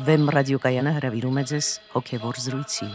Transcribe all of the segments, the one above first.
Վեմ ռադիոկայանը հրավիրում է ձեզ հոգևոր զրույցի։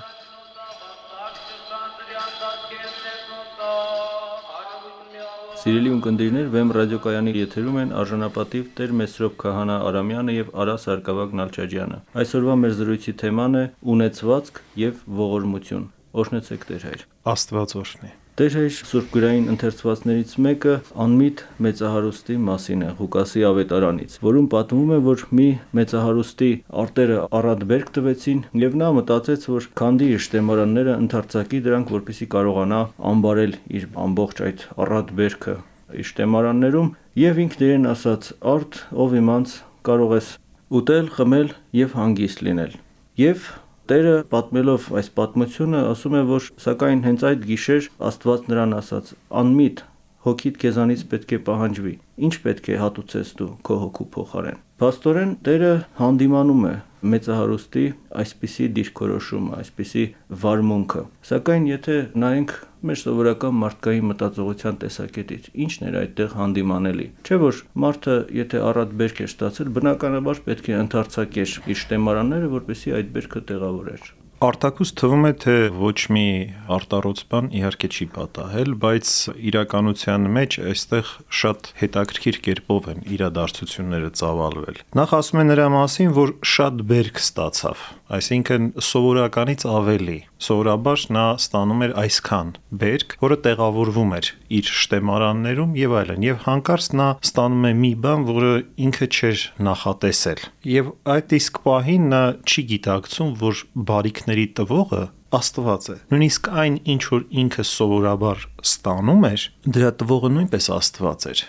Սիրելի ունկնդիրներ, Վեմ ռադիոկայանի եթերում են արժանապատիվ Տեր Մեսրոպ Քահանա Արամյանը եւ Արա Սարգսակ Նալչաջյանը։ Այսօրվա մեր զրույցի թեման է ունեցվածք եւ ողորմություն։ Օրհնեցեք Տեր Հայր։ Աստված օրհնի։ Տեր Հայր, սուրբգրային ընթերցվածներից մեկը անմիտ մեծահարուստի մասին է Ղուկասի ավետարանից, որում պատմում է, որ մի մեծահարուստի արտերը առատ բերք տվեցին եւ նա մտածեց, որ քանդի իր շտեմարանները ընդարձակի դրանք, որպեսզի կարողանա ամբարել իր ամբողջ այդ առատ բերքը իր շտեմարաններում, եւ ինքն իրեն ասաց. «Արդ, ով իմանց, կարող ես ուտել, խմել եւ հանգիստ լինել»։ Եվ Տերը պատմելով այս պատմությունը ասում է, որ սակայն հենց այդ գիշեր Աստված նրան ասաց. «Անմիտ, հոգիդ քեզանից պետք է պահանջվի, ինչ պետք է հատուցես դու քո հոգու փոխարեն»։ Փաստորեն Տերը հանդիմանում է մեծահարուստի այսպիսի դիրքորոշումը, այսպիսի վարմունքը։ Սակայն եթե նայենք մեր սովորական մարդկային մտածողության տեսակետից, ի՞նչն էր այդտեղ հանդիմանելի։ Չէ՞ որ մարդը, եթե առատ բերք էր ստացել, բնականաբար պետք է ընդարձակեր իր շտեմարանները, որպեսզի այդ բերքը տեղավորեր։ Արտակուս թվում է, թե ոչ մի արտառոց բան իհարկե չի պատահել, բայց իրականության մեջ այստեղ շատ հետաքրքիր կերպով են իրադարձությունները ծավալվել։ Նախ ասում է նրա մասին, որ շատ բերք ստացավ, այսինքն սովորականից ավելի։ Սովորաբար նա ստանում էր այսքան բերք, որը տեղավորվում էր իր շտեմարաններում եւ այլն, եւ հանկարծ նա ստանում է մի բան, որը ինքը չէր նախատեսել։ Եվ այդ իսկ պահին նա չի գիտակցում, որ բարիքների տվողը Աստված է։ Նույնիսկ այն, ինչ որ ինքը սովորաբար ստանում էր, դրա տվողը նույնպես Աստված էր։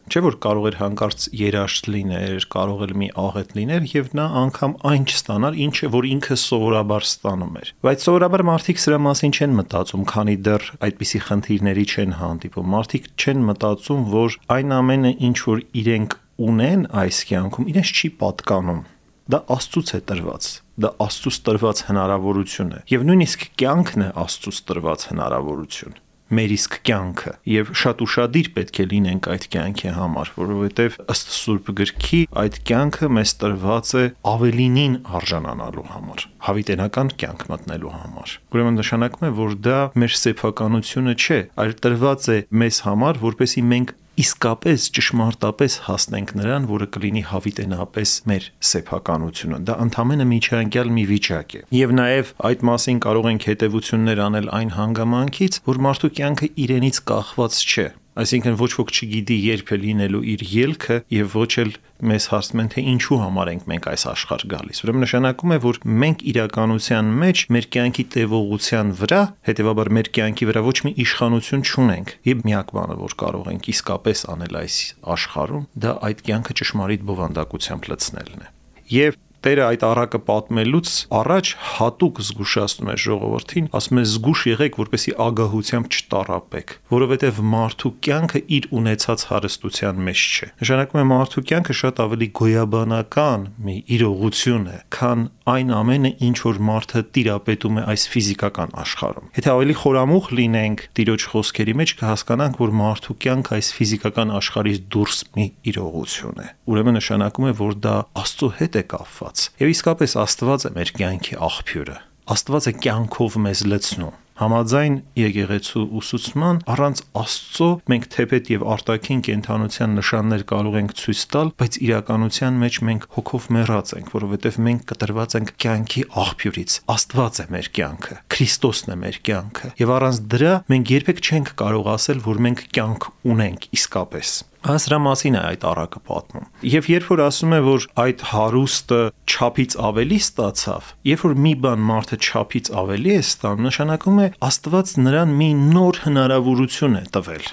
Չէ՞ որ կարող էր հանկարծ երաշտ լիներ, կարող էր մի աղետ լիներ եւ նա անգամ այն չստանար, ինչը որ ինքը սովորաբար ստանում էր։ Բայց սովորաբար մարդիկ սրա մասին չեն մտածում, քանի դեռ այդպիսի խնդիրների չեն հանդիպում։ Մարդիկ չեն մտածում, որ այն ամենը, ինչ որ իրենք ունեն այս կյանքում, իրենց չի պատկանում։ Դա Աստծուց է տրված, դա Աստծուց տրված հնարավորություն է, եւ նույնիսկ կյանքն է Աստծուց տրված հնարավորություն, մեր իսկ կյանքը, եւ շատ ուշադիր պետք է լինենք այդ կյանքի համար, որովհետեւ ըստ Սուրբ Գրքի այդ կյանքը մեզ տրված է ավելինին արժանանալու համար, հավիտենական կյանք մտնելու համար։ Ուրեմն նշանակում է, որ դա մեր սեփականությունը չէ, այլ տրված է մեզ համար, որպեսզի մենք իսկապես ճշմարտապես հասնենք նրան, որը կլինի հավիտենապես մեր սեփականությունը։ Դա ընդամենը միջանկյալ մի վիճակ է։ Եվ նաև այդ մասին կարող ենք հետևություններ անել այն հանգամանքից, որ մարդու կյանքը իրենից կախված չէ։ Այսինքն ոչ ոք չգիտի երբ է լինելու իր ելքը եւ ոչ էլ մեզ հարցնում են, թե ինչու համար ենք մենք այս աշխարհ գալիս։ Ուրեմն նշանակում է, որ մենք իրականության մեջ մեր կյանքի տևողության վրա, հետեւաբար մեր կյանքի վրա ոչ մի իշխանություն չունենք։ Եվ միակ բանը, որ կարող ենք իսկապես անել այս աշխարհում, դա այդ կյանքը ճշմարիտ բովանդակությամբ լցնելն է։ Եվ Տերը այդ առակը պատմելուց առաջ հատուկ զգուշացնում է ժողովրդին, ասում է զգուշ եղեք, որպեսզի ագահությամբ չտառապեք, որովհետև մարդու կյանքը իր ունեցած հարստության մեջ չէ։ Նշանակում է մարդու կյանքը շատ ավելի գոյաբանական մի իրողություն է, քան այն ամենը, ինչ որ մարդը տիրապետում է այս ֆիզիկական աշխարհում։ Եթե ավելի խորամուխ լինենք Տիրոջ խոսքերի մեջ, կհասկանանք, որ մարդու կյանքը այս ֆիզիկական աշխարհից դուրս մի իրողություն է։ Ուրեմն նշանակում է, որ դա Աստծո հետ է կապված։ Եվ իսկապես Աստված է մեր կյանքի աղբյուրը։ Աստված է կյանքով մեզ լցնում։ Համաձայն եկեղեցու ուսուցման, առանց Աստծո մենք թեպետ եւ արտաքին կենթանության նշաններ կարող ենք ցույց տալ, բայց իրականության մեջ մենք հոգով մեռած ենք, որովհետեւ մենք կտրված ենք կյանքի աղբյուրից։ Աստված է մեր կյանքը, Քրիստոսն է մեր կյանքը, եւ առանց դրա մենք երբեք չենք կարող ասել, որ մենք կյանք ունենք իսկապես։ Սրա մասին է այդ առակը պատմում։ Եվ երբ որ ասում է, որ այդ հարուստը չափից ավելի ստացավ, երբ որ մի բան մարդը չափից ավելի է ստանում, նշանակում է Աստված նրան մի նոր հնարավորություն է տվել։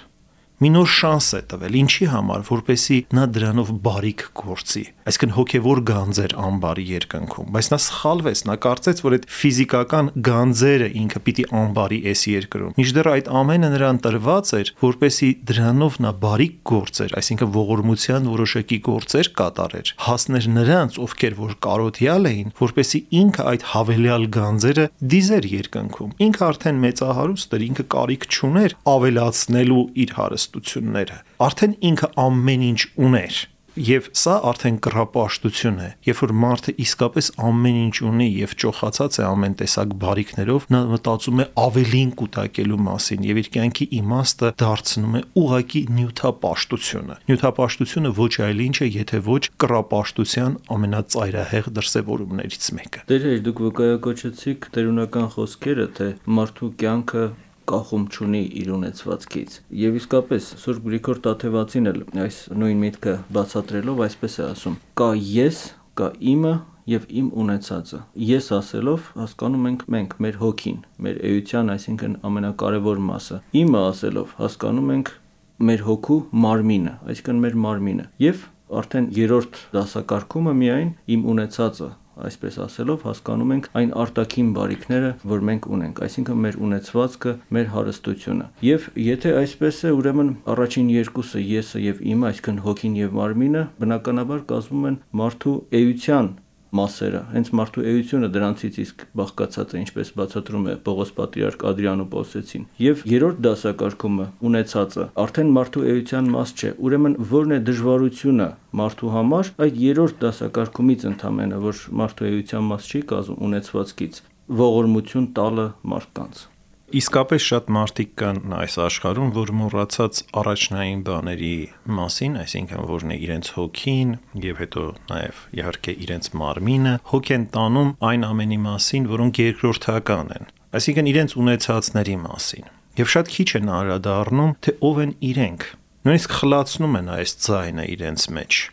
Մի նոր շանս է տվել, ինչի համար, որպեսզի նա դրանով բարիք գործի։ Այսինքն հոգևոր գանձեր անբարի երկնքում, բայց նա սխալվեց, նա կարծեց, որ այդ ֆիզիկական գանձերը ինքը պիտի անբարի էս երկրում։ Մինչդեռ այդ ամենը նրան տրված էր, որպեսզի դրանով նա բարիք գործեր, այսինքն ողորմության որոշակի գործեր կատարեր, հասներ նրանց, ովքեր որ կարոթյալ էին, որպեսզի ինքը այդ հավելյալ գանձերը դիզեր երկնքում։ Ինքը արդեն մեծահարուստ էր, ինքը կարիք չուներ ավելացնելու իր հարստությունները։ Արդեն ինքը ամեն ինչ ուներ։ Եվ սա արդեն կռապաշտություն է, երբ որ մարդը իսկապես ամեն ինչ ունի եւ ճոխացած է ամեն տեսակ բարիքներով, նա մտածում է ավելին կուտակելու մասին եւ իր կյանքի իմաստը դարձնում է ուղակի նյութապաշտությունը։ Նյութապաշտությունը ոչ այլ ինչ է, եթե ոչ կռապաշտության ամենածայրահեղ դրսևորումներից մեկը։ Դեր դուք վկայակոչեցիք տերունական խոսքերը, թե մարդու կյանքը կախում չունի իր ունեցվածքից։ Եվ իսկապես Սուրբ Գրիգոր Տաթևացին էլ այս նույն միտքը բացատրելով այսպես է ասում. կա ես, կա իմը եւ իմ ունեցածը։ Ես ասելով հասկանում ենք մենք մեր հոգին, մեր էության, այսինքն ամենակարևոր մասը։ Իմը ասելով հասկանում ենք մեր հոգու մարմինը, այսինքն մեր մարմինը։ Եվ արդեն երրորդ դասակարգումը միայն իմ ունեցածը, այսպես ասելով հասկանում ենք այն արտաքին բարիքները, որ մենք ունենք, այսինքն մեր ունեցվածքը, մեր հարստությունը։ Եվ եթե այսպես է, ուրեմն առաջին երկուսը եսը եւ իմը, այսինքն հոգին եւ մարմինը, բնականաբար կազմում են մարդու էության մասերը, հենց մարդու էությունը դրանցից իսկ բաղկացած է, ինչպես բացատրում է Պողոս Պատրիարք Ադրիանոպոլսեցին։ Եվ երրորդ դասակարգումը ունեցածը արդեն մարդու էության մաս չէ, ուրեմն որն է դժվարությունը մարդու համար, այդ երրորդ դասակարգումից ընդամենը, որ մարդու էության մաս չի կազմում ունեցվածքից, ողորմություն տալը մարդկանց։ Իսկապես շատ մարդիկ կան այս աշխարհում, որ մոռացած առաջնային բաների մասին, այսինքն որն է իրենց հոգին եւ հետո նաեւ իհարկե իրենց մարմինը, հոգ են տանում այն ամենի մասին, որոնք երկրորդական են, այսինքն իրենց ունեցածների մասին։ Եվ շատ քիչ են անդրադառնում, թե ով են իրենք։ Նույնիսկ խլացնում են այս ձայնը իրենց մեջ։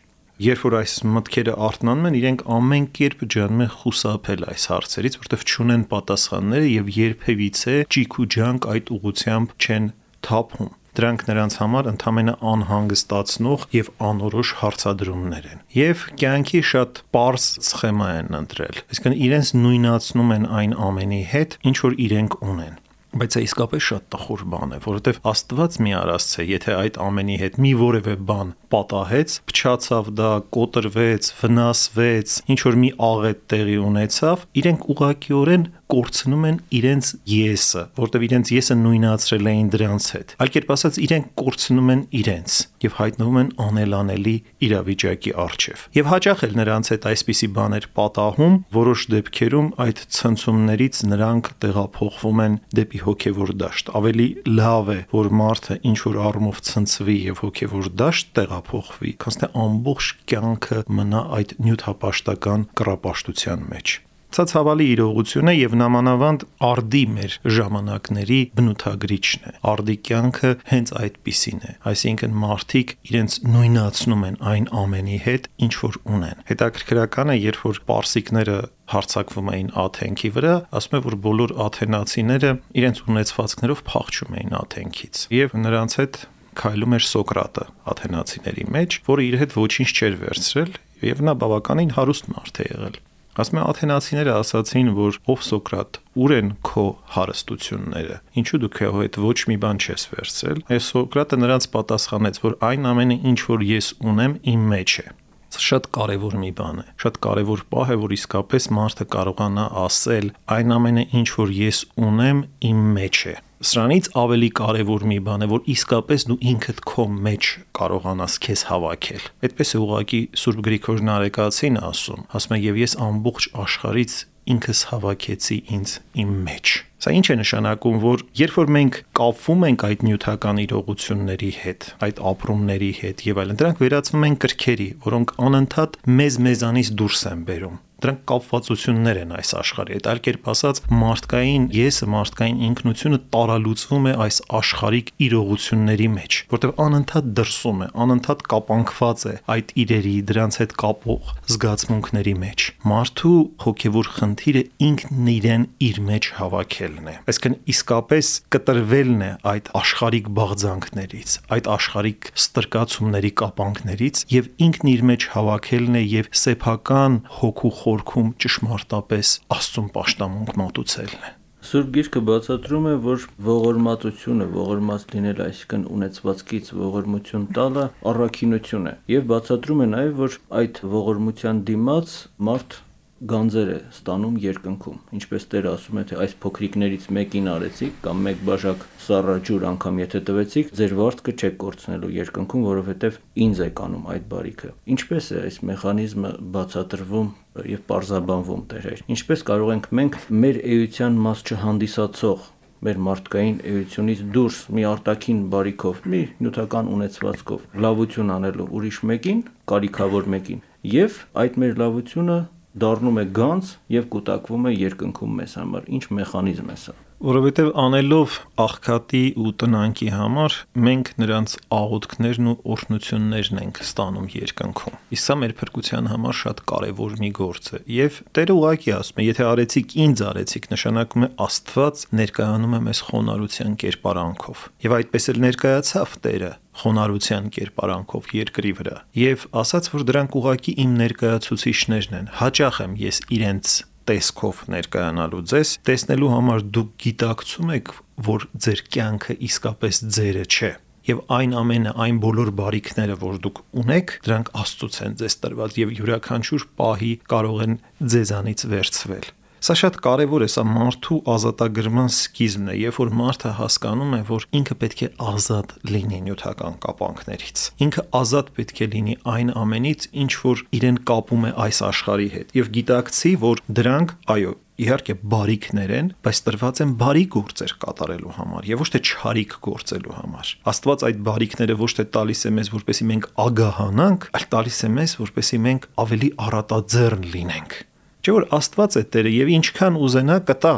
Երբ որ այս մտքերը արթնանում են, իրենք ամեն կերպ ջանում են խուսափել այս հարցերից, որտեղ չունեն պատասխանները եւ երբևիցե ճիք ու ջանք այդ ուղղությամբ չեն թափում։ Դրանք նրանց համար ընդամենը անհանգստացնող եւ անորոշ հարցադրումներ են։ Եվ կյանքի շատ պարզ սխեմա են ընտրել։ Այսինքն իրենց նույնացնում են այն ամենի հետ, ինչ որ իրենք ունեն։ Բայց դա իսկապես շատ տխուր բան է, որովհետև Աստված մի արածց է, եթե այդ ամենի հետ մի որևէ բան պատահեց, փչացավ դա, կոտրվեց, վնասվեց, ինչ որ մի աղետ տեղի ունեցավ, իրենք ուղղակիորեն կորցնում են իրենց եսը, որտեղ իրենց եսը նույնացրել էին դրանց հետ։ Այլ կերպ ասած, իրենք կորցնում են իրենց եւ հայտնվում են անելանելի իրավիճակի առջև։ Եվ հաճախ էլ նրանց հետ այսպիսի բաներ պատահում, որոշ դեպքերում այդ ցնցումներից նրանք տեղափոխվում են դեպի հոգևոր դաշտ։ Ավելի լավ է, որ մարդը ինչ որ առումով ցնցվի եւ հոգևոր դաշտ տեղափոխվի, քան թե ամբողջ կյանքը մնա այդ նյութապաշտական կռապաշտության մեջ։ Սա ցավալի իրողություն է եւ նամանավանդ արդի մեր ժամանակների բնութագրիչն է։ Արդի կյանքը հենց այդպիսին է, այսինքն մարդիկ իրենց նույնացնում են այն ամենի հետ, ինչ որ ունեն։ Հետաքրքրական է, երբ որ պարսիկները հարձակվում էին Աթենքի վրա, ասում է, որ բոլոր աթենացիները իրենց ունեցվածքներով փախչում էին Աթենքից եւ նրանց հետ քայլում էր Սոկրատը աթենացիների մեջ, որը իր հետ ոչինչ չէր վերցրել եւ նա բավականին հարուստ մարդ է եղել։ Ասում է աթենացիները ասացին, որ ով Սոկրատ, ուր են քո հարստությունները, ինչու դու քո հետ ոչ մի բան չես վերցրել։ Այս Սոկրատը նրանց պատասխանեց, որ այն ամենը, ինչ որ ես ունեմ, իմ մեջ է։ Սա շատ կարևոր մի բան է, շատ կարևոր պահ է, որ իսկապես մարդը կարողանա ասել այն ամենը, ինչ որ ես ունեմ, իմ մեջ է։ Սրանից ավելի կարևոր մի բան է, որ իսկապես դու ինքդ քո մեջ կարողանաս քեզ հավաքել։ Այդպես է ուղղակի Սուրբ Գրիգոր Նարեկացին ասում, ասում է եւ ես ամբողջ աշխարհից ինքս հավաքեցի ինձ իմ մեջ։ Սա ինչ է նշանակում, որ երբ որ մենք կապվում ենք այդ նյութական իրողությունների հետ, այդ ապրումների հետ եւ այլն, դրանք վերածվում են կրքերի, որոնք անընդհատ մեզանից դուրս են բերում։ Դրանք կապվածություններ են այս աշխարհի հետ, այլ կերպ ասած, մարդկային եսը, մարդկային ինքնությունը տարալուծվում է այս աշխարհիկ իրողությունների մեջ, որտեղ անընդհատ դրսում է, անընդհատ կապանքված է այդ իրերի, դրանց հետ կապող զգացմունքների մեջ։ Մարդու հոգևոր խնդիրը ինքն իրեն իր մեջ հավաքելն է։ Այսինքն իսկապես կտրվելն է այդ աշխարհիկ բաղձանքներից, այդ աշխարհիկ ստրկացումների կապանքներից եւ ինքն իր մեջ հավաքելն է եւ սեփական հոգու խորքում ճշմարտապես Աստծուն պաշտամունք մատուցելն է։ Սուրբ Գիրքը բացատրում է, որ ողորմածությունը, ողորմած լինել, այսինքն ունեցվածքից ողորմություն տալը առաքինություն է, եւ բացատրում է նաեւ, որ այդ ողորմության դիմաց մարդ գանձեր է ստանում երկնքում, ինչպես Տերը ասում է, թե այս փոքրիկներից մեկին արեցիք կամ մեկ բաժակ սառը ջուր անգամ եթե տվեցիք, ձեր վարձքը չեք կորցնելու երկնքում, որովհետև ինձ եք անում այդ բարիքը։ Ինչպես է այս մեխանիզմը բացատրվում եւ պարզաբանվում, Տեր, ինչպես կարող ենք մենք մեր էության մաս չհանդիսացող մեր մարդկային էությունից դուրս մի արտաքին բարիքով, մի նյութական ունեցվածքով լավություն անելու ուրիշ մեկին, կարիքավոր մեկին, եւ այդ մեր լավությունը դառնում է գանձ եւ կուտակվում է երկնքում մեզ համար։ Ինչ մեխանիզմ է սա։ Որովհետև անելով աղքատի ու տնանքի համար մենք նրանց աղոթքներն ու օրհնություններն ենք ստանում երկնքում։ Իսկ սա մեր փրկության համար շատ կարևոր մի գործ է։ Եվ Տերը ուղղակի ասում է, եթե արեցիք ինձ արեցիք, նշանակում է Աստված ներկայանում է մեզ խոնարհության կերպարանքով։ Եվ այդպես էլ ներկայացավ Տերը խոնարհության կերպարանքով երկրի վրա։ Եվ ասաց, որ դրանք ուղղակի իմ ներկայացուցիչներն են։ Հաճախ եմ ես իրենց տեսքով ներկայանալու ձեզ, տեսնելու համար դուք գիտակցում եք, որ ձեր կյանքը իսկապես ձերը չէ։ Եվ այն ամենը, այն բոլոր բարիքները, որ դուք ունեք, դրանք Աստծուց են ձեզ տրված եւ յուրաքանչյուր պահի կարող են ձեզանից վերցվել։ Սա շատ կարևոր է, սա մարդու ազատագրման սկիզբն է, երբ որ մարդը հասկանում է, որ ինքը պետք է ազատ լինի նյութական կապանքներից։ Ինքը ազատ պետք է լինի այն ամենից, ինչ որ իրեն կապում է այս աշխարհի հետ, եւ գիտակցի, որ դրանք, այո, իհարկե բարիքներ են, բայց տրված են բարի գործեր կատարելու համար եւ ոչ թե չարիք գործելու համար։ Աստված այդ բարիքները ոչ թե տալիս է մեզ, որպեսզի մենք ագահանանք, այլ տալիս է մեզ, որպեսզի մենք ավելի առատաձեռն լինենք։ Չէ՞ որ Աստված է Տերը եւ ինչքան ուզենա կտա,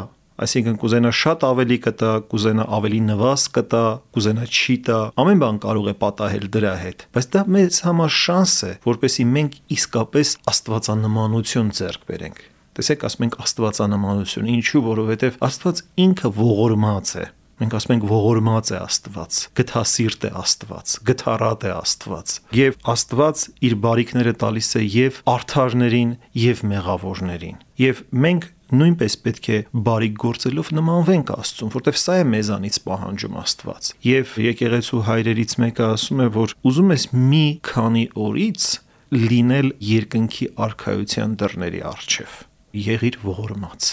այսինքն կուզենա շատ ավելի կտա, կուզենա ավելի նվազ կտա, կուզենա չի տա, ամեն բան կարող է պատահել դրա հետ, բայց դա մեզ համար շանս է, որպեսզի մենք իսկապես աստվածանմանություն ձեռք բերենք։ Տեսեք, ասում ենք աստվածանմանություն, ինչու, որովհետև Աստված ինքը ողորմած է։ Մենք ասում ենք ողորմած է Աստված, գթասիրտ է Աստված, գթառատ է Աստված։ Եվ Աստված իր բարիքները տալիս է եւ արդարներին եւ մեղավորներին։ Եվ մենք նույնպես պետք է բարիք գործելով նմանվենք Աստծուն, որտեղ սա է մեզանից պահանջում Աստված։ Եվ եկեղեցու հայրերից մեկը ասում է, որ ուզում ես մի քանի օրից լինել երկնքի արքայության դռների առջև։ Եղիր ողորմած։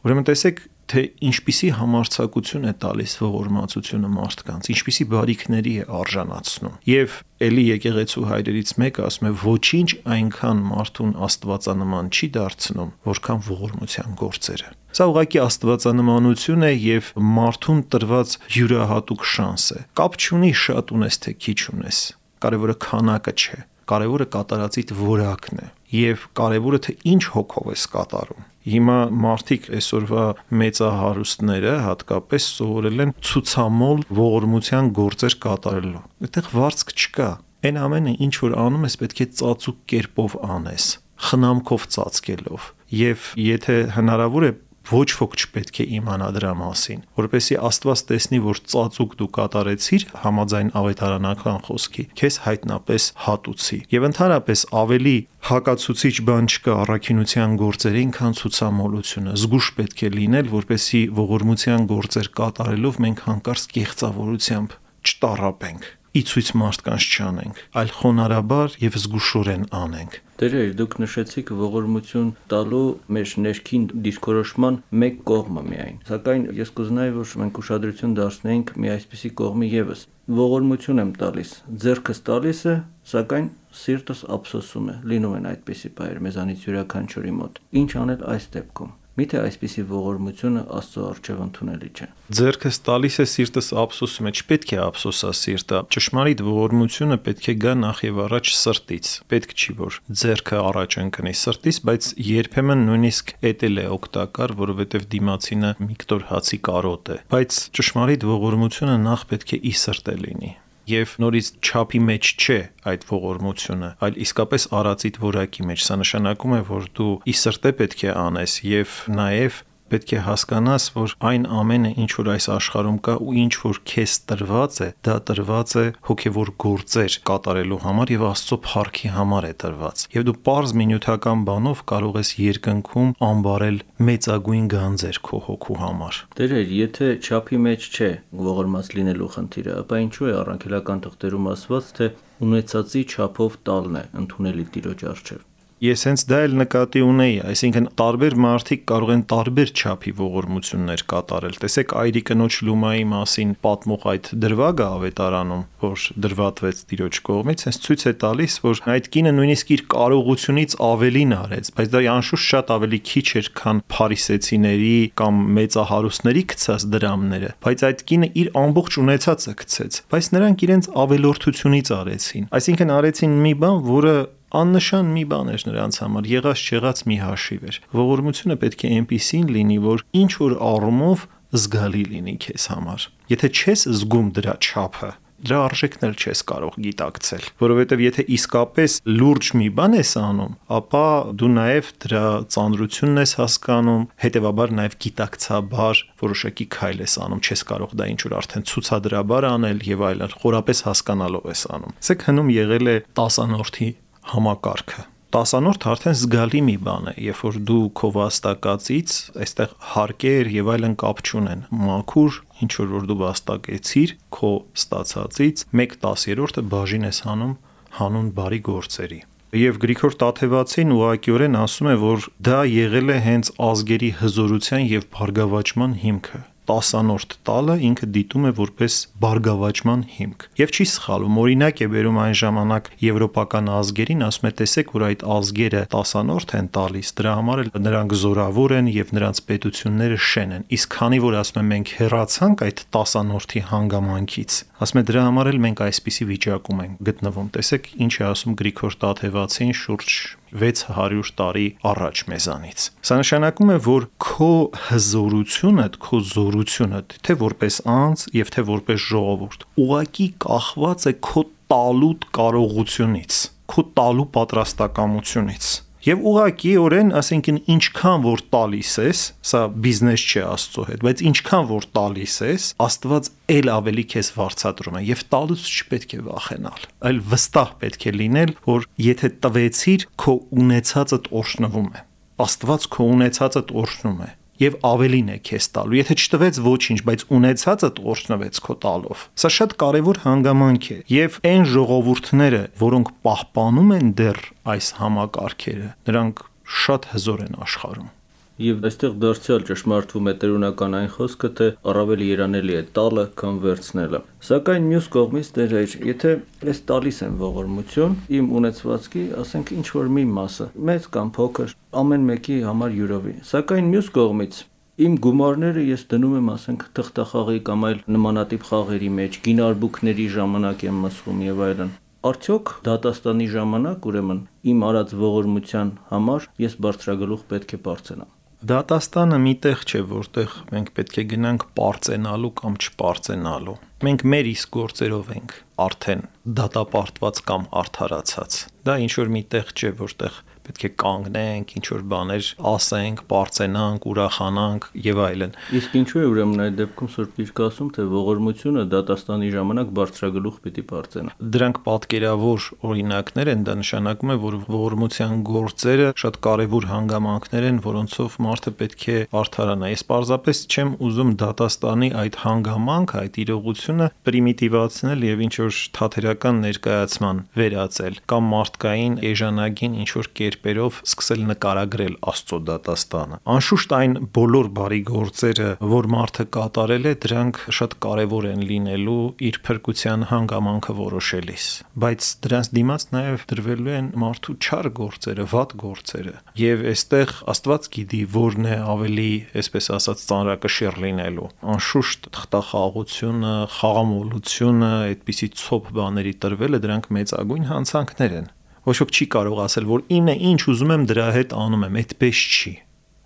Ուրեմն տեսեք, թե ինչպիսի համարձակություն է տալիս ողորմածությունը մարդկանց, ինչպիսի բարիքների է արժանացնում։ Եվ էլի եկեղեցու հայրերից մեկը ասում է, ոչինչ այնքան մարդուն աստվածանման չի դարձնում, որքան ողորմության գործերը։ Սա ուղղակի աստվածանմանություն է եւ մարդուն տրված յուրահատուկ շանս է։ Կապ չունի շատ ունես թե քիչ ունես։ Կարևորը քանակը չէ, կարևորը կատարածիդ որակն է եւ կարևորը թե ինչ հոգով ես կատարում։ Հիմա մարդիկ այսօրվա մեծահարուստները հատկապես սովորել են ցուցամոլ ողորմության գործեր կատարելու։ Այդտեղ վարձք չկա։ Այն ամենը, ինչ որ անում ես, պետք է ծածուկ կերպով անես, խնամքով ծածկելով։ Եվ եթե հնարավոր է, ոչ ոք չպետք է իմանա դրա մասին, որպեսզի Աստված տեսնի, որ ծածուկ դու կատարեցիր համաձայն ավետարանական խոսքի, քեզ հայտնապես հատուցի։ Եվ ընդհանրապես ավելի հակացուցիչ բան չկա առաքինության գործերին, քան ցուցամոլությունը։ Զգուշ պետք է լինել, որպեսզի ողորմության գործեր կատարելով մենք հանկարծ կեղծավորությամբ չտառապենք, իցույց մարդկանց չանենք, այլ խոնարհաբար եւ զգուշորեն անենք։ Տերեր, դուք նշեցիք ողորմություն տալու մեր ներքին դիրքորոշման մեկ կողմը միայն։ Սակայն ես կուզենայի, որ մենք ուշադրություն դարձնենք մի այսպիսի կողմի եւս։ Ողորմություն եմ տալիս, ձեռքս տալիս է, սակայն սիրտս ափսոսում է։ Լինում են այդպիսի բաներ մեզանից յուրաքանչյուրի մոտ։ Ինչ անել այս դեպքում։ Միթե այսպիսի ողորմությունը Աստծո առջև ընդունելի չէ։ Ձեռքս տալիս է, սիրտս ափսոսում է, չպետք է ափսոսա սիրտը։ Ճշմարիտ ողորմությունը պետք է գա նախ եւ առաջ սրտից։ Պետք չի որ ձեռքը առաջ ընկնի սրտից, բայց երբեմն նույնիսկ էդ է օգտակար, որովհետեւ դիմացինը մի կտոր հացի կարոտ է։ Բայց ճշմարիտ ողորմությունը նախ պետք է ի սրտե լինի։ Եվ նորից չափի մեջ չէ այդ ողորմությունը, այլ իսկապես արածիդ որակի մեջ։ Սա նշանակում է, որ դու ի սրտե պետք է անես եւ նաեւ պետք է հասկանաս, որ այն ամենը, ինչ որ այս աշխարհում կա ու ինչ որ քեզ տրված է, դա տրված է հոգևոր գործեր կատարելու համար եւ Աստծո փառքի համար է տրված։ Եվ դու պարզ մի նյութական բանով կարող ես երկնքում ամբարել մեծագույն գանձեր քո հոգու համար։ Տերեր, եթե չափի մեջ չէ ողորմած լինելու խնդիրը, ապա ինչու է առաքելական թղթերում ասված, թե ունեցածի չափով տալն է ընդունելի Տիրոջ առջև։ Ես հենց դա էլ նկատի ունեի, այսինքն տարբեր մարդիկ կարող են տարբեր չափի ողորմություններ կատարել։ Տեսեք այրի կնոջ լումայի մասին պատմող այդ դրվագը ավետարանում, որ դրվատվեց Տիրոջ կողմից, հենց ցույց է տալիս, որ այդ կինը նույնիսկ իր կարողությունից ավելին արեց, բայց դա անշուշտ շատ ավելի քիչ էր, քան փարիսեցիների կամ մեծահարուստների գցած դրամները, բայց այդ կինը իր ամբողջ ունեցածը գցեց, բայց նրանք իրենց ավելորդությունից արեցին, այսինքն արեցին մի բան, որը աննշան մի բան էր նրանց համար, եղած չեղած մի հաշիվ էր։ Ողորմությունը պետք է այնպիսին լինի, որ ինչ որ առումով զգալի լինի քեզ համար։ Եթե չես զգում դրա չափը, դրա արժեքն էլ չես կարող գիտակցել, որովհետև եթե իսկապես լուրջ մի բան ես անում, ապա դու նաև դրա ծանրությունն ես հասկանում, հետևաբար նաև գիտակցաբար որոշակի քայլ ես անում, չես կարող դա ինչ որ արդեն ցուցադրաբար անել եւ այլն, խորապես հասկանալով ես անում։ Սեք հնում եղել է 10-անորդի համակարգը։ 10-անորդը արդեն զգալի մի բան է, երբ որ դու քո վաստակածից այստեղ հարկեր եւ այլն կապ չունեն, մաքուր ինչ որ դու վաստակեցիր քո ստացածից 1/10-ը բաժին ես հանում հանուն բարի գործերի։ Եվ Գրիգոր Տաթևացին ուղղակիորեն ասում է, որ դա եղել է հենց ազգերի հզորության եւ բարգավաճման հիմքը։ 10-անորդ տալը ինքը դիտում է որպես բարգավաճման հիմք։ Եվ չի սխալվում, օրինակ է բերում այն ժամանակ եվրոպական ազգերին, ասում է տեսեք, որ այդ ազգերը 10-անորդ են տալիս, դրա համար էլ նրանք զորավոր են եւ նրանց պետությունները շեն են։ Իսկ քանի որ ասում է մենք հեռացանք այդ 10-անորդի հանգամանքից, ասում է դրա համար էլ մենք այսպիսի վիճակում ենք գտնվում։ Տեսեք, ինչ է ասում Գրիգոր Տաթևացին շուրջ 600 տարի առաջ մեզանից։ Սա նշանակում է, որ քո հզորությունդ, քո զորությունդ, թե որպես անձ եւ թե որպես ժողովուրդ, ուղղակի կախված է քո տալու կարողությունից, քո տալու պատրաստակամությունից։ Եվ ուղղակիորեն, ասենք ինչքան որ տալիս ես, սա բիզնես չէ Աստծո հետ, բայց ինչքան որ տալիս ես, Աստված էլ ավելի քեզ վարձատրում է եւ տալուց չպետք է վախենալ, այլ վստահ պետք է լինել, որ եթե տվեցիր, քո ունեցածդ օրհնվում է։ Աստված քո ունեցածդ օրհնում է եւ ավելին է քեզ տալու։ Եթե չտվեց ոչինչ, բայց ունեցածդ օրհնվեց քո տալով։ Սա շատ կարեւոր հանգամանք է եւ այն ժողովուրդները, որոնք պահպանում են դեռ այս համակարգերը, նրանք շատ հզոր են աշխարհում։ Եվ այստեղ դարձյալ ճշմարտվում է տերունական այն խոսքը, թե առավել երանելի է տալը, քան վերցնելը։ Սակայն մյուս կողմից դերեր, եթե ես տալիս եմ ողորմություն, իմ ունեցվածքի, ասենք ինչ որ մի մասը, մեծ կամ փոքր, ամեն մեկի համար յուրովի։ Սակայն մյուս կողմից իմ գումարները ես դնում եմ, ասենք, թղթախաղի կամ այլ նմանատիպ խաղերի մեջ, գինարբուքների ժամանակ եմ մսխում եւ այլն։ Արդյոք դատաստանի ժամանակ, ուրեմն, իմ արած ողորմության համար ես բարձրագլուխ պետք է բարձրանամ։ Դատաստանը մի տեղ չէ, որտեղ մենք պետք է գնանք պարծենալու կամ չպարծենալու։ Մենք մեր իսկ գործերով ենք արդեն դատապարտված կամ արդարացած։ Դա ինչ որ մի տեղ չէ, որտեղ պետք է կանգնենք, ինչ որ բաներ ասենք, պարծենանք, ուրախանանք եւ այլն։ Իսկ ինչու է ուրեմն այդ դեպքում Սուրբ Գիրքը ասում, թե ողորմությունը դատաստանի ժամանակ բարձրագլուխ պիտի բարձրանա։ Դրանք պատկերավոր օրինակներ են, դա նշանակում է, որ ողորմության գործերը շատ կարևոր հանգամանքներ են, որոնցով մարդը պետք է արդարանա։ Ես պարզապես չեմ ուզում դատաստանի այդ հանգամանքը, այդ իրողությունը պրիմիտիվացնել եւ ինչ որ թատերական ներկայացման վերածել կամ մարդկային էժանագին ինչ որ կերպերով սկսել նկարագրել Աստծո դատաստանը։ Անշուշտ այն բոլոր բարի գործերը, որ մարդը կատարել է, դրանք շատ կարևոր են լինելու իր փրկության հանգամանքը որոշելիս, բայց դրանց դիմաց նաև դրվելու են մարդու չար գործերը, վատ գործերը։ Եվ այստեղ Աստված գիտի որն է ավելի, այսպես ասած, ծանրակշիռ լինելու։ Անշուշտ թղթախաղությունը, խաղամոլությունը, այդպիսի ցոփ բաների տրվելը դրանք մեծագույն հանցանքներ են։ Ոչ ոք չի կարող ասել, որ ինը ինչ ուզում եմ դրա հետ անում եմ, այդպես չի։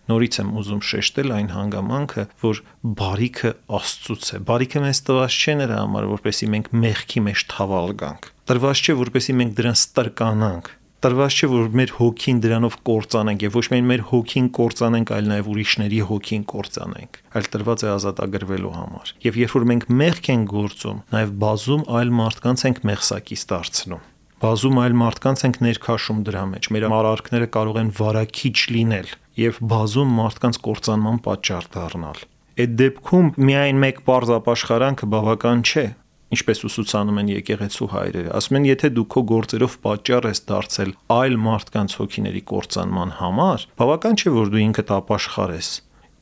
Նորից եմ ուզում շեշտել այն հանգամանքը, որ բարիքը Աստծուց է։ Բարիքը մեզ տված չէ նրա համար, որպեսզի մենք մեղքի մեջ թավալ գանք։ Տրված չէ, որպեսզի մենք դրան ստրկանանք։ Տրված չէ, որ մեր հոգին դրանով կործանենք, եւ ոչ միայն մեր հոգին կործանենք, այլ նաեւ ուրիշների հոգին կործանենք։ Այլ տրված է ազատագրվելու համար։ Եվ երբ որ մենք մեղք ենք գործում, նաեւ բազում այլ մարդկանց ենք մեղսակից դարձնում։ Բազում այլ մարդկանց ենք ներքաշում դրա մեջ։ Մեր արարքները կարող են վարակիչ լինել եւ բազում մարդկանց կործանման պատճառ դառնալ։ Այդ դեպքում միայն մեկ պարզ ապաշխարանքը բավական չէ։ ինչպես ուսուցանում են եկեղեցու հայրերը։ Ասում են, եթե դու քո գործերով պատճառ ես դարձել այլ մարդկանց հոգիների կործանման համար, բավական չէ, որ դու ինքդ ապաշխարես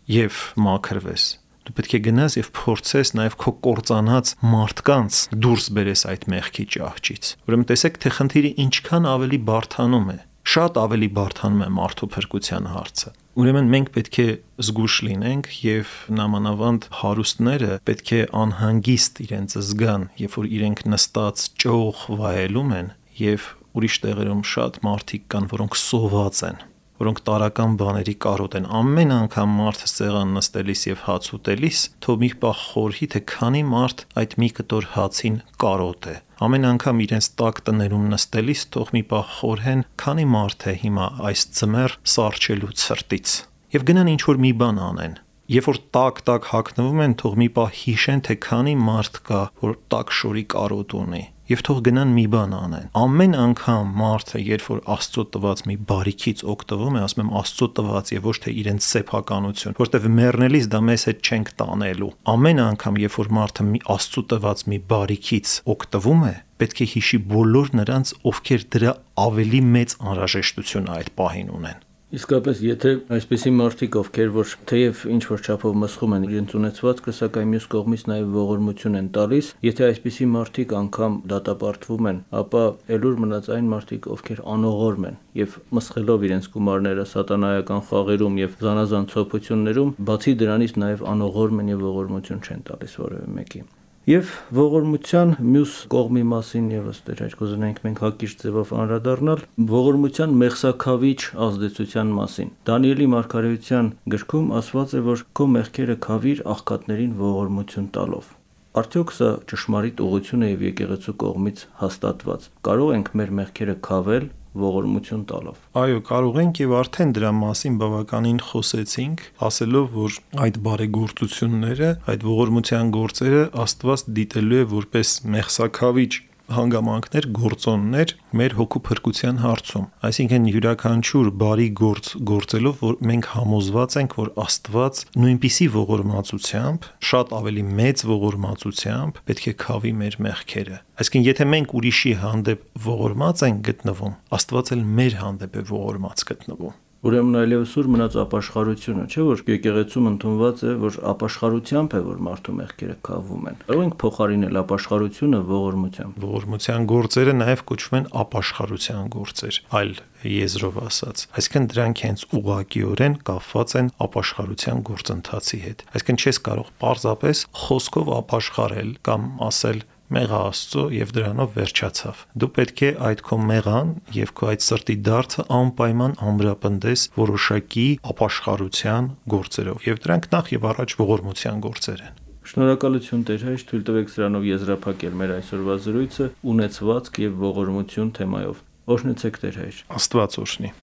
եւ մաքրվես։ Դու պետք է գնաս եւ փորձես նաեւ քո կործանած մարդկանց դուրս բերես այդ մեղքի ճահճից։ Ուրեմն տեսեք, թե խնդիրը ինչքան ավելի բարդանում է, շատ ավելի բարդանում է մարդու փրկության հարցը։ Ուրեմն մենք պետք է զգուշ լինենք եւ նամանավանդ հարուստները պետք է անհանգիստ իրենց զգան, երբ որ իրենք նստած ճոխ վայելում են եւ ուրիշ տեղերում շատ մարդիկ կան, որոնք սոված են, որոնք տարական բաների կարոտ են։ Ամեն անգամ մարդը սեղան նստելիս եւ հաց ուտելիս, թող մի պահ խորհի, թե քանի մարդ այդ մի կտոր հացին կարոտ է։ Ամեն անգամ իրենց տաք տներում նստելիս թող մի պահ խորհեն, քանի մարդ է հիմա այս ձմեռ սառչելու ցրտից։ Եվ գնան ինչ որ մի բան անեն։ Երբ որ տակ հագնվում են, թող մի պահ հիշեն, թե քանի մարդ կա, որ տաք շորի կարոտ ունի։ Եվ թող գնան մի բան անեն։ Ամեն անգամ մարդը, երբ որ Աստծո տված մի բարիքից օգտվում է, ասում եմ Աստծո տված եւ ոչ թե իրենց սեփականություն, որտեվ մեռնելիս դա մեզ հետ չենք տանելու։ Ամեն անգամ, երբ որ մարդը մի Աստծո տված մի բարիքից օգտվում է, պետք է հիշի բոլոր նրանց, ովքեր դրա ավելի մեծ անհրաժեշտություն այդ պահին ունեն։ Իսկապես, եթե այսպիսի մարդիկ, ովքեր որ թեև ինչ որ չափով մսխում են իրենց ունեցվածքը, սակայն մյուս կողմից նաև ողորմություն են տալիս, եթե այսպիսի մարդիկ անգամ դատապարտվում են, ապա ելուր մնաց այն մարդիկ, ովքեր անողորմ են եւ մսխելով իրենց գումարները սատանայական խաղերում եւ զանազան ցոփություններում, բացի դրանից նաև անողորմ են եւ ողորմություն չեն տալիս որևէ մեկի։ Եվ ողորմության մյուս կողմի մասին եւս դեր կուզենայինք մենք հակիրճ ձևով անդրադառնալ ողորմության մեղսաքավիչ ազդեցության մասին։ Դանիելի մարգարեության գրքում ասված է, որ քո մեղքերը քավիր աղքատներին ողորմություն տալով։ Արդյոք սա ճշմարիտ ուղղություն է եւ եկեղեցու կողմից հաստատված։ Կարող ենք մեր մեղքերը քավել ողորմություն տալով։ Այո, կարող ենք եւ արդեն դրա մասին բավականին խոսեցինք, ասելով, որ այդ բարեգործությունները, այդ ողորմության գործերը Աստված դիտելու է որպես մեղսաքավիչ հանգամանքներ, գործոններ մեր հոգու փրկության հարցում։ Այսինքն յուրաքանչյուր բարի գործ գործելով, որ մենք համոզված ենք, որ Աստված նույնպիսի ողորմածությամբ, շատ ավելի մեծ ողորմածությամբ պետք է քավի մեր մեղքերը։ Այսինքն եթե մենք ուրիշի հանդեպ ողորմած ենք գտնվում, Աստված էլ մեր հանդեպ է ողորմած գտնվում։ Ուրեմն այլևս ուր մնաց ապաշխարությունը, չէ՞ որ եկեղեցում ընդունված է, որ ապաշխարությամբ է, որ մարդու մեղքերը քավում են։ Կարող ենք փոխարինել ապաշխարությունը ողորմությամբ։ Ողորմության գործերը նաև կոչվում են ապաշխարության գործեր, այլ եզրով ասած։ Այսինքն դրանք հենց ուղղակիորեն կապված են ապաշխարության գործընթացի հետ։ Այսինքն չես կարող պարզապես խոսքով ապաշխարել կամ ասել մեղա Աստծո եւ դրանով վերջացավ։ Դու պետք է այդ քո մեղան եւ քո այդ սրտի դարձը անպայման ամրապնդես որոշակի ապաշխարության գործերով եւ դրանք նախ եւ առաջ ողորմության գործեր են։ Շնորհակալություն Տեր հայր, թույլ տվեք սրանով եզրափակել մեր այսօրվա զրույցը ունեցվածք եւ ողորմություն թեմայով։ Օրհնեցեք Տեր հայր։ Աստված օրհնի։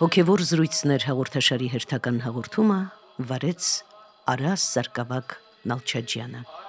Հոգևոր զրույցներ հաղորդաշարի հերթական հաղորդումը վարեց Արաս Սարգսակ Նալչաջյանը։